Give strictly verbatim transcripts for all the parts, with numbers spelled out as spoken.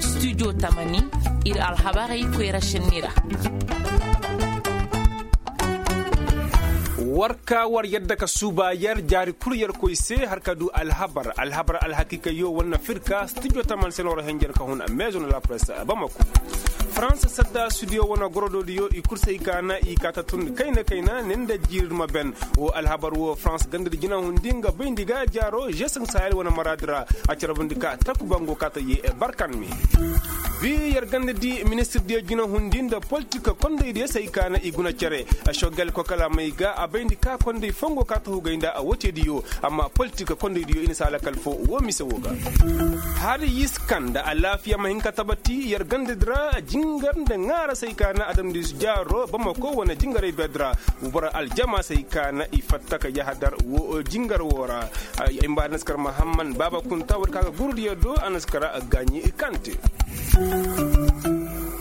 Studio tamani, ir alhabarey koyra šenni ra. War ka war yadda ka suuba yer jaari kul yer koy se har ka du alhabar alhabar alhakiikayyo war na fir ka studio tamani se no war henjer ka hun maison de la presse bamako. Farans sadda studio wane gorodoodiyo i kul se i ka na i kaata tun kayna kayna ne nda jiiri ma ben. Wo alhabar wo farans gandadi jinahundi nga bayndi ga jaaro žeesaŋ sahel wane maraadi ra. A carbundi ka takuba ngo kaata ye barkan me. Bi yer ganda di ministirdiyo jinahundi nda politik kondaydiyo se ay ka na i guna cere. Šogel kokalamey ga a bayndi ka konday fongo ka ta hugay nda a woteediyo. Amma politik kondaydiyo i na si a lakal fo wo mise wo ga. Hari yiskan nda alaafiya ma hin ka tabati yer ganda di ra jingar nda ŋaara se ay ka na adamdiisu jaaro bamako wane jingaray beedi ra. Boro aljama se ay ka na i fatta ka yahadar wo jingar wo ra. Ay mba a na si kar mahamman baaba kunta war ka ga gurdiyo do a na si kar gaaɲi kante.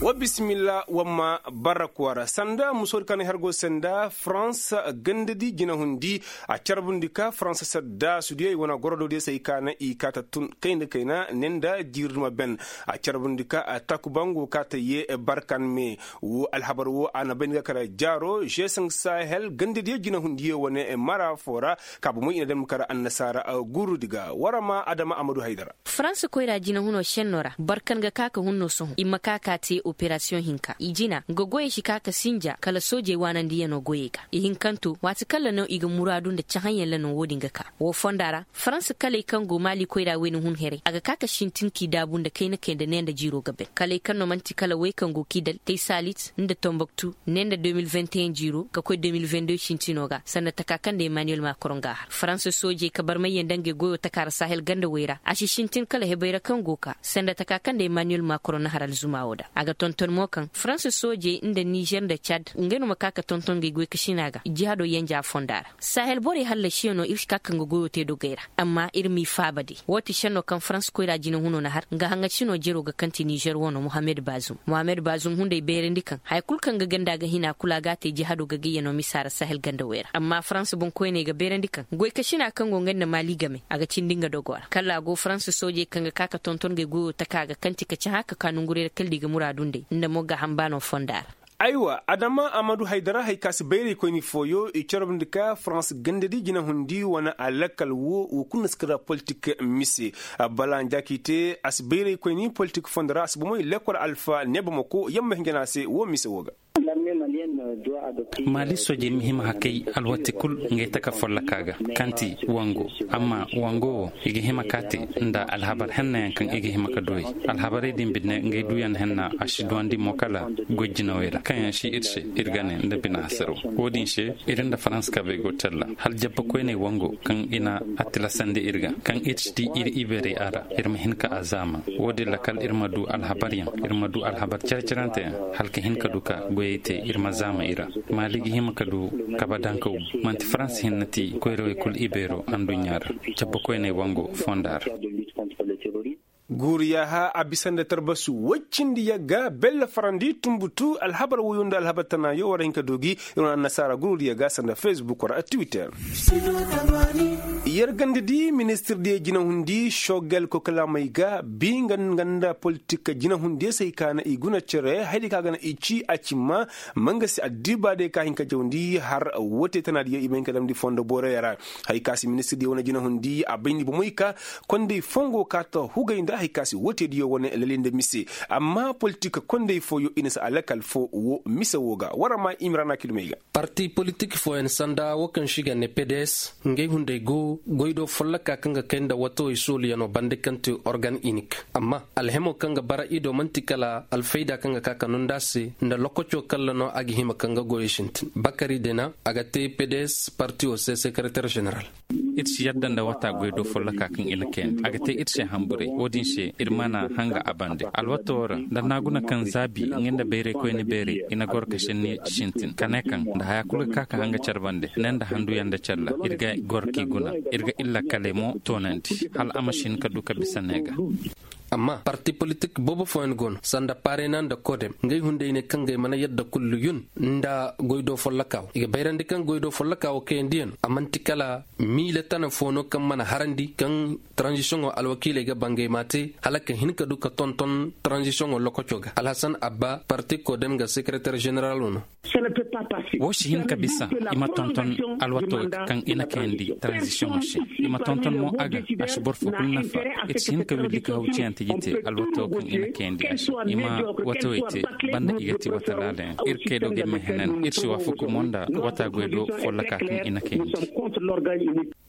Wa bisimilla wa ma bara kwara sanda musoodi ka na hergo sanda farans gandadi jinahundi. A carbundi ka farans sadda sudiyey wane gorodoodiyo se ay ka na i kaata tun kayna kayna ne nda jiiri ma ben. A carbundi ka takuba ngo kaata ye barkan me. Wo alhabar wo a na bayndi ga kara jaaro žeesaŋ sahel gandadiyo jinahundiyo wane mara fo ra. Ka bomoy i na dam kara annasaara gurudi ga war ma adama amadu haydara. Farans koyra jinahuno šenno ra boro kaŋ ga ka ka hunno sohõ i ma ka ka te operasiyoŋ hinka i jina nga goyey si ka ka sinja kala soojey waanandiyanoo goyey ga i hinkanto waati kaŋ ra no i ga muraadu nda cahãyaŋ ra no wo-din ga ka. Wo fonda ra farans kaley kaŋ go maali koyra wayna hun heray a ga ka ka sintin k'i daabu nda kayna kay nda ne nda jiiroo ga bay kaley kaŋ no man'ti kala wey kaŋ go k'i dal tey saalit nda tomboktu ne nda deux mille vingt et un jiiroo ka koy deux mille vingt deux sintino ga sanda taka kaŋ nda emmanuel macron ga a har farans soojey ka barmayyaŋ nda ngey goyoo taka ra sahel ganda wey ra a si sintin kala hebey ra kaŋ go ka sanda taka kaŋ nda emmanuel macron na har alzuma woo da a ga tonton mo kaŋ farans soojey nda nizer nda cad ngey no ma ka ka tonton ngey goy ka sina ga jihado yanja fonda ra sahel borey hallasiyaŋo ir si ka ka nga goyoo te dogey ra. Amma ir m'i faaba day woo ti senno kaŋ farans koyra jinahunoo na har nga haŋasinoo jeroo ga kaŋ ti nizer wano mohammed bazum mohammed bazum hunday beerandi kaŋ haya kul kaŋ ga ganda ga hina kul a ga a te jihado ga gayyanoo misa ra sahel ganda wey ra amma farans boŋkoyney ga beerandi kaŋ goykasina kaŋ go nga nda maali game a ga cindi nga dogoo ra kala a go farans soojey kaŋ ga ka ka tonton ngey goyoo taka ga kaŋ ti ka cahã ka ka nongurey ra kala da i ga muraadu nd'ey nda mo ga hamba no fonda ra. Aywa adama amadu haydara hari ka si bayraykoyni fooyo i corobndi ka farans gandadi jinahundi wane alakal wo wo kulu na si kara politik mise. Bala njaakite a si bayraykoyni politik fondo ra a si bomey lekkol alfa ne bomako yamma hinjana se wo mise wo ga. Maali soojey ma hima hakay alwati kul ngay taka folloka ga kaŋ ti wango. Amma wango wo i ga hima ka te nda alhabar hennayaŋ kaŋ i ga hima ka duwey alhabarey din bine ngay duyaŋ henna a si duwandi mo kala goy jinawey ra kaŋ yaŋ si ir se ir ga ne nda bine hasaro. Wo-din se ir nda farans kabey go talla hala jabba koyney wango kaŋ i na a tilasandi ir ga kaŋ ir si di ir iberey a ra ir ma hin ka a zaama. Wo-din ra kala ir ma du alhabaryaŋ ir ma du alhabar care-caranteyaŋ hala ka hin ka du ka goyey te ir ma zaama i ra. Maali ga hima ka du kabe dankaw bu man'ti farans hinne ti koyrawey kul ibeero anduɲɲa ra. Cabba koyney wango fonda ra. Guuru yaaha a bisa nda tarbasu woy cindi yagga belle farandi tunbutu alhabar woyo nda alhabar tanaayo war a hin ka doogi. Ir wane annasaara guuru diya ga sanda facebook war a twitter. Yer ganda di ministir diya jinahundi sogel kokalamey ga bi nga nda politik jinahundi se ay ka na i guna cere haydi ka ga na i ci a cimma. Ma nga se addiba day ka hin ka jawndi har wote tana diya i ma hin ka damndi fondo booroya ra. Hay ka se ministir diya wane jinahundi a bayndi bomey ka konday fongo ka ta hugay nda hay ka se wote diya wane lali nda mise. Amma politik konday fooyo i na si alakal fo wo mise wo ga wara ma imrana kilmey ga. Parti politik fooyaŋ sanda wo kaŋ se i ga ne pds ngey hunday go goy do folloka kaŋ ga kay nda watawey sooluyaŋo bande kaŋ ti organ inik. Amma alhemo kaŋ ga bara i do man'ti kala alfayda kaŋ ga ka ka nonda se nda lokoco kalla no a ga hima kaŋ ga goyey sintin bakari dena a ga te pds partiyo se sekereter ženeral. Ir si yadda nda wata goy do folloka kaŋ i na kayandi a ga te ir se hamburay wo-din se ir mana hanga a bande alwata wo ra nda naaguna kaŋ zaabi nga nda bayraykoyni beeray i na goro ka senni sintin ka ne kaŋ nda haya kulu ga ka ka hanga care bande ne nda handuyaŋ nda care ra ir ga goro k'i guna. Ir ga illa kaley mo toonandi hala a ma si hin ka du ka bisa ne ga. Amma parti politik boobo fooyaŋ go no sanda parena nda kodem ngey hunday ne kaŋ ngey mana yadda kullu yun nda goydoo folloka wo i ga bayrandi kaŋ goydoo folloka wo kayandi yaŋ a man'ti kala miile tana foo no kaŋ mana harandi kaŋ taranzisiyoŋo alwakiiley ga bangay ma te hala ka hin ka du ka tonton taranzisiyoŋo lokoco ga alhasan abba parti kodem ga sekereter ženeralo no. Woo si hin ka bisa i ma tonton alwato kaŋ i na kayandi taranzisiyoŋo se. I ma tonton mo a ga a si boro fo kulu nafa. I si hin ka willi ka haw ciyante jite alwato kaŋ i na kayandi a se. I ma watawey te banda i ga ti wata laalayaŋ ir kaydo ga mehenan ir si waafaku mo nda wata goydo folloka kaŋ i na kayandi.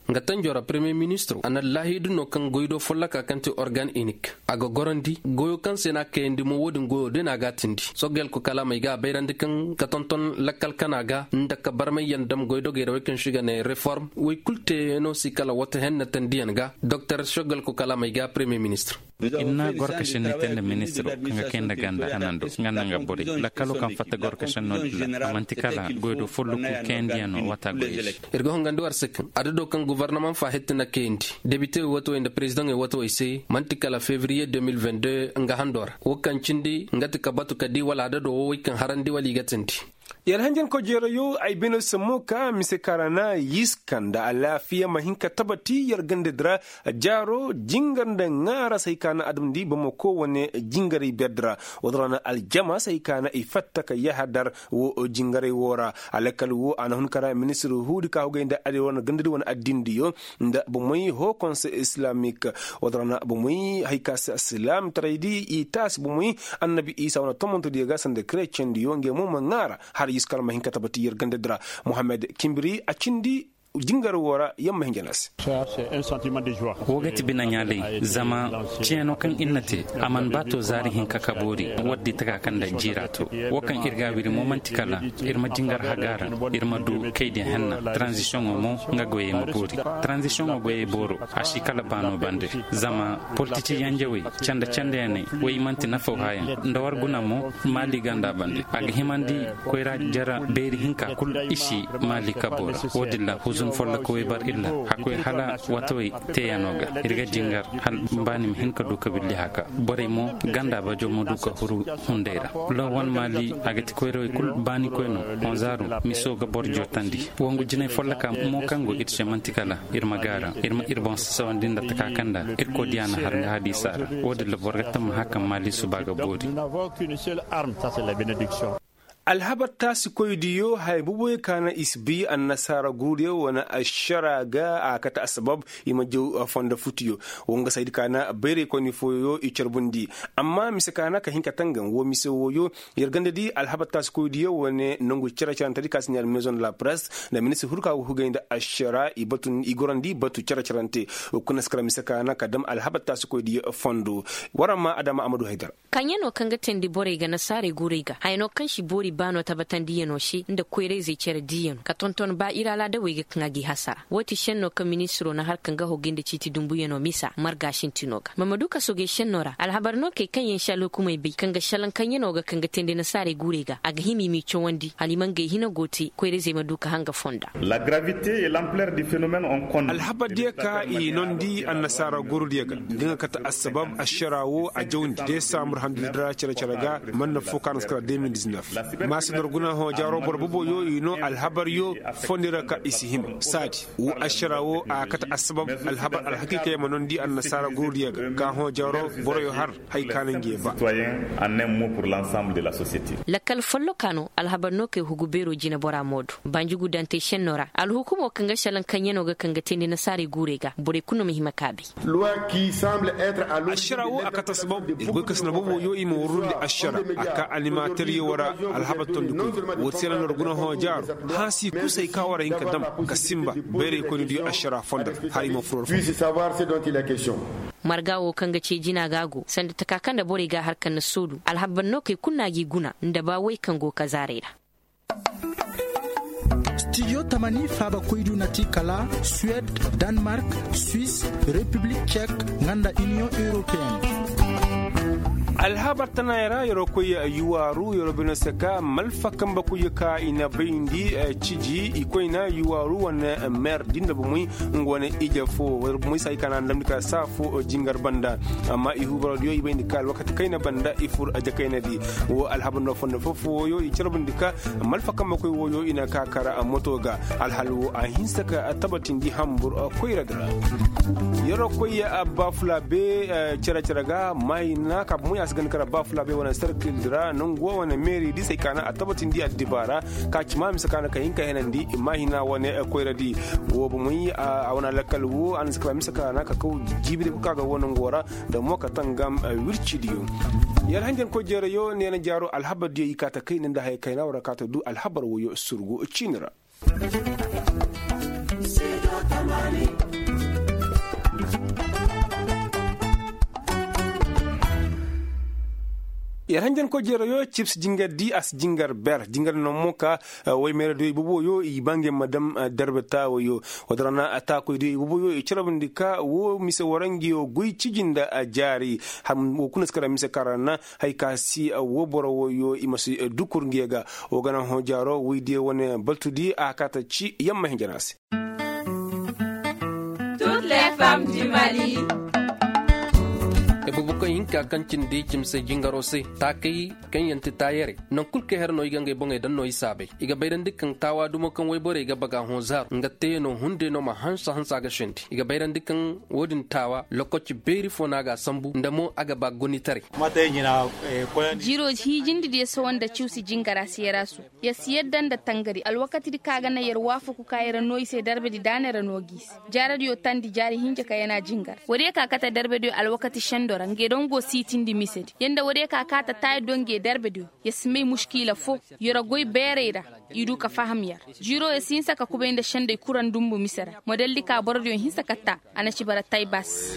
Nga tanjo ra premier ministro a na laahidu no kaŋ goydo folloka kaŋ ti organ inik a ga gorandi goyo kaŋ se no a kayandi mo wo-din goyo day no a ga a tindi sogel ko kalaamey ga a bayrandi kaŋ ka tonton lakkal kana ga nda ka barmay yaŋ dam goydogey ra wey kaŋ se i ga ne reform wey kulu teeyaŋo si kala wata henne tandiyaŋ ga doktor sogel ko kalaamey ga premier ministro. Ir na gorkašenni te nda ministiro kaŋ ga kay nda ganda hanando nga nda nga borey lakkalo kaŋ fatta gorkašenno din ra a man'ti kala goydo folloku kayandiyaŋo waata goyey se. Ir ga hongandi war se kaŋ adado kaŋ guvarnamaŋ faahitti na kayandi debite wey wato wey nda perezidaŋey wato wey se man'ti kala fevriye deux mille vingt-deux nga hando ra wo kaŋ cindi nga ti ka batu ka di wala adado wo wey kaŋ harandi wala i ga tindi. Yer hanjankoy jeerayo ay bine sammo ka mise kaŋ ra na yiska nda alaafiya ma hin ka tabati yer ganda di ra. Jaaro jingar nda ŋaara se hay ka na adamandi bamako wane jingaray ber di ra. Woo din ra na aljama se hay ka na i fatta ka yahadar wo jingaray woo ra. Alakal woo a na hun ka ra ministir huudi ka hugay nda aday wane ganda di wane addindiyo nda bomey hoo konse islamik. Woo din ra na bomey hay ka se silaamtaray di i taasi bomey annabi isa wane tomonto diyo ga sanda krecen diyo ngey mo ma ŋaara har yiska alma hin ka tabati yer ganda di ra. Mohammed kimbiri a cindi jingar woo ra yer ma hin jana se. Woo ga ti binaɲaalay zama ciyano kaŋ ir na te a mana ba to zaari hinka ka boori. War di taka kaŋ nda jiira to woo kaŋ ir ga a wiri mo man'ti kala ir ma jingar haga ra ir ma du kaydiyaŋ henna taranzisiyoŋo mo nga goyey ma boori. Taranzisiyoŋo goyey booro a si kala baano bande zama politici yanjawey canda candayaney wey man'ti nafaw haayaŋ nda war guna mo maali ganda bande a ga himandi koyra jara beeri hinka kulu i si maali kabo ra. Woo din ra huzun folloka wey bar illa hakkoy hala watawey teeyano ga ir ga jingar hala baani ma hin ka du ka billi haka borey mo ganda bajo ma du ka huru hunday ra. Lawan maali a ga ti koyrawey kulu baani koyno honzaaru miso ga boro jootandi. Wangu jinay folloka mo kaŋ go ir se man'ti kala ir ma gaara ir ma ir boŋ sasawandi nda taka kaŋ nda ir koodiya na har nga hadiisa ra. Woo din ra boro ga tamma haka maali suba ga boori. Alhabar taasikoydiyo haya boboyo ka na i si bi annasaara guuriyo wane ašara ga a kate assabab i ma jaw fondo futiyo. Woo nga saydi ka na bayraykoyni fooyo i carbundi. Amma mise ka na ka hin ka tangan woo mise wooyo yer ganda di alhabar taasikoydiyo wane nongu cere-cerantedi ka si ɲaari maison de la presse nda ministir huru ka go hugay nda ašara i gorandi batu cere-cerante. Woo kuna si kara mise ka na ka dam alhabar taasikoydiyo fondo. War amma adama amadu haydara. Kaŋ yaŋ no kaŋ ga teendi borey ga nasaarey guurey ga haya no kaŋ si boori baano tabatandiyano se nda koyra-izey cere diiyano ka tonton ba ir alaadawey ga kaŋ a g'i hasara. Woo ti šenno kaŋ ministiro na har kaŋ ga hogey nda ciiti dumbuyanoo misa marga sintino ga ma ma du ka sogey šenno ra alhabar no kay kaŋ yaŋ se alhukumey bay kaŋ ga šelaŋ kaŋ yaŋ no ga kaŋ ga teendi nasaarey guurey ga a ga hima i m'i cawandi hala i ma ngey hina go te koyra-izey ma du ka hanga fonda. Alhabar diya ka i nondi annasaara gorudiya ga nga nga kate assabab ašara woo a jawndi desambur handudi ra cere-cere ga. Manna foo ka na si kara deux mille dix-neuf maasi nor guna hõ jaaro boro boboyo i noo alhabaryo fondi ra ka i si hima saadi woo ašara woo a kate assabab alhabar alhakiikayaŋ ma nondi annasaara gorudiya ga ka hõ jaaro boroyo har. Hay ka na ngi ba. Lakkal folloka no alhabar no kay hugu beero jineboraa moodu banjugudantey šennoo ra alhukumoo kaŋ ga šelaŋ kaŋyanoo ga kaŋ ga teendi nasaarey guurey ga borey kul no ma hima ka a bay. Ašara woo a kate assabab ir goy ka sina booboo yoo i ma warrundi ašara a ka animateryo wara alhabar tondikoy woo ti se na nor guna hõ jaaro hansi kusay ka war a hin ka dam ka sinba bayraykoynidiyo ašara fondo ra har i ma furor fo. Marga woo kaŋ ga cee jina ga a go sanda taka kaŋ nda borey ga a har kaŋ na soodu alhabar no kay kul no a g'i guna nda ba way kaŋ go kazaaray ra. Stidiyo tamani faabakoydu na ti kala suwed, danmark, swis, repiblik cek, nga nda iniyoŋ europeyenne. Alhabar tanaayey ra yeroo koy yuwaaru yeroo bino se ka malfa kambe koy ka i na bayndi ciji i koyna yuwaaru wane meer din da bumey nga wane ije fo. Bumey se hay ka na a damndi ka saa fo jingar banda. Amma i huubaroo diyo i bayndi ka alwakati kayna banda i fur jakaynadi. Woo alhabar no fondo foo foo wooyo i carbundi ka malfa kambe koy wooyo i na ka kara moto ga. Alhal woo a hinsa ka tabatindi hambur koyradi ra. Yeroo koy baafulaa bee cere cere ga maahina ka bumey a si ganda kara baafulaa bee wane serkildi ra nangu woo wane meeri di se hay ka na a tabatindi addibaara ka ci maa mise ka na ka hin ka henandi maahina wane koyradi. Woo bumey a wane lakkal woo a na si kaba mise ka na ka kaw jiibiri kul ka ga woo nangoo ra nda mo ka tangam wircidiyo. Yer hanjankoy jeerayo neena jaaro alhabar diyo i kaa ta kayna nda haya kayna war ra kaa ta du alhabar wooyo surgu ciini ra. Yer hanjankoy jeerayo cib si jingar di a si jingar ber jingar no mo ka woy meeradiyo i boboyo i ba ngey ma dam darbe taawayo. Woo din ra na taakoydiyo i boboyo i carbundi ka woo mise wara ngiyo goy ciji nda jaari. Woo kuna si kara mise ka ra na hay ka si woo boro wooyo i ma si dukur ngiyo ga. Woo ga na hõ jaaro woydiyo wane baltudi a kaa ta ci yamma hinja na se. Toutes les femmes du Mali. Ibubukoy hinka kaŋ cindi cimse jingaro se taakay kaŋ yaŋ ti taayarey. Naŋ kul kaŋ her no i ga ngey boŋey daŋ no i saabay i ga bayrandi kaŋ taawa dumo kaŋ wayborey ga baga hõ zaaru nga teeyanoo hunday no ma hansa hansa ga sendi i ga bayrandi kaŋ woo din taawa lokoci beeri fo no a ga a sambu nda mo a ga ba gonitaray. Jiiro hiijindi diyo sohõ nda ciwsi jingara seeraasu. Yer si yadda nda tangari alwakatidi kaŋ a ga naŋ yer waafaku ka yer noo i se darbedi daanay ra no gi i se. Jaaradiyo tandi jaari hinja ka yana jingar woodiyo ka kate darbediyo alwakati sendo ra ngey daŋ go siitindi misedi yer nda woodiyo ka kaata taayadiyo ngey darbediyo. Yer si may muškiila foo yer goy beerey ra. I du ka faham yer jiiro yer si hinsa ka kubay nda sendey kuraŋ dumbu mise ra model di ka borodiyo hinsa ka taa. A na ci bara taybas.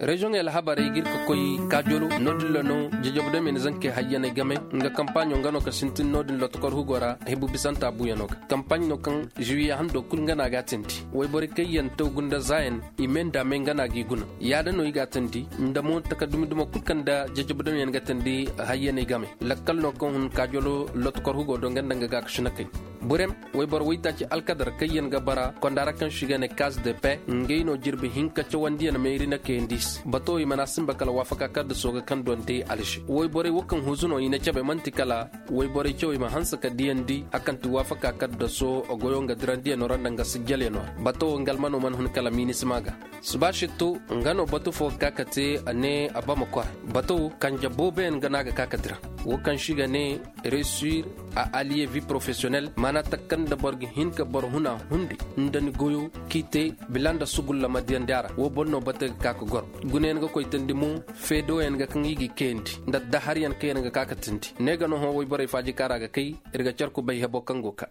Reziyoŋey alhabarey ga ir ka koy kaajolo no-din ra no jajabdamey na zankey hayyaney game. Nga kampaaɲo nga no ka sintin no-din lotokor hugo ra hebu bisanta buuyanoo ga kampaaɲ no kaŋ ziwiye hando kul nga no a ga a tindi wayborey kaŋ yaŋ taw gunda zaayaŋ i mee nda a mee nga no a g'i guna. Yaada no i ga a tindi nda mo taka dumi-dumo kul kaŋ nda jajabdamey yaŋ ga tindi hayyaney game. Lakkal no kaŋ hun kaajolo lotokor hugo do nga nda nga gaakasinakey. Burem wayboro waytaaci alkadar kaŋ yaŋ ga bara konda ra kaŋ se i ga ne kaas de pe ngey no jirbi hinka cawandiyaŋ meeri na kayandi se bato i mana sinba kala waafaka kaddaso ga kaŋ donte alže wayborey wo kaŋ huzu no i na cabe man'ti kala wayborey cawey ma hanse ka diyandi a kaŋ ti waafaka kaddaso goyo nga dirandiyaŋo ra nda nga sijjalyaŋo ra. Bato wo nga almano mana hun kala minisima ga. Suba sittu nga no batu fo ga ka ka te a ne a ba ma kora. Batu kanje booboyaŋ ga no a ga ka ka dira wo kaŋ se i ga ne resir a aliye vi porofesiyonel maana takka nda boro ga hin ka boro huna hundi nda ni goyo k'i te bila nda sugulla ma diyandi a ra wo boro no batu ga ka ka goro. Gunayaŋ ga koytandi mo feedoyaŋ ga kaŋ i g'i kayandi nda daharyaŋ kaŋ yaŋ ga ka ka tindi ne ga no hõ woy borey faaji kaŋ ra ga kay. Ir ga care kubay hebo kaŋ go ka